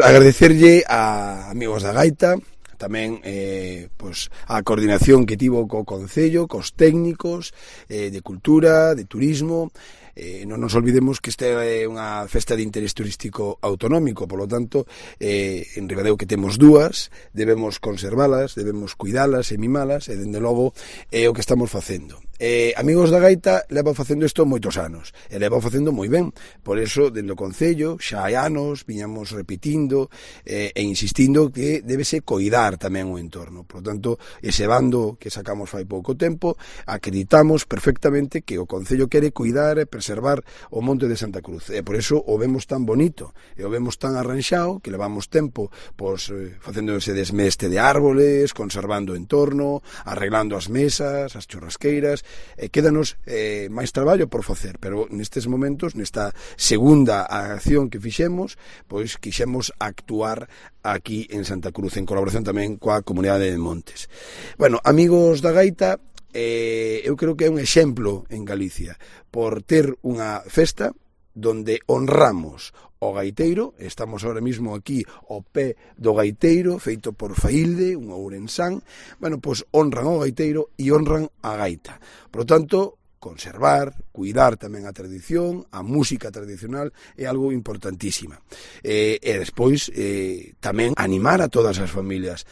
Agradecerlle a amigos da Gaita, tamén pois, a coordinación que tivo co Concello, cos técnicos de cultura, de turismo. Non nos olvidemos que esta é unha festa de interés turístico autonómico, polo tanto, en Ribadeo que temos dúas, debemos conservalas, debemos cuidalas e mimalas, e dende logo é o que estamos facendo. Amigos da Gaita leva facendo isto moitos anos, e leva facendo moi ben, por eso, dende o Concello, xa hai anos, viñamos repetindo e insistindo que débese coidar tamén o entorno. Por tanto, ese bando que sacamos fai pouco tempo, acreditamos perfectamente que o Concello quere cuidar e preservar o Monte de Santa Cruz, e por eso o vemos tan bonito, e o vemos tan arranxado, que levamos tempo pois, facendo ese desmeste de árboles, conservando o entorno, arreglando as mesas, as churrasqueiras, e quédanos máis traballo por facer, pero nestes momentos, nesta segunda acción que fixemos, pois quixemos actuar aquí en Santa Cruz, en colaboración tamén coa Comunidade de Montes. Bueno, amigos da Gaita, eu creo que é un exemplo en Galicia por ter unha festa donde honramos o gaiteiro. Estamos ahora mismo aquí ao pé do gaiteiro, feito por Failde, un ourensán. Bueno, pois honran ao gaiteiro e honran a gaita. Por lo tanto, conservar, cuidar tamén a tradición, a música tradicional é algo importantísima. E despois tamén animar a todas as familias,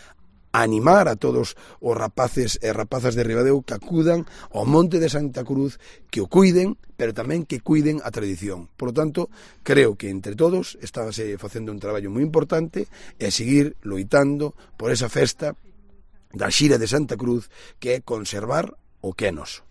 animar a todos os rapaces e rapazas de Ribadeo que acudan ao Monte de Santa Cruz, que o cuiden, pero tamén que cuiden a tradición. Por lo tanto, creo que entre todos estábase facendo un traballo moi importante e seguir loitando por esa festa da Xira de Santa Cruz, que é conservar o que é noso.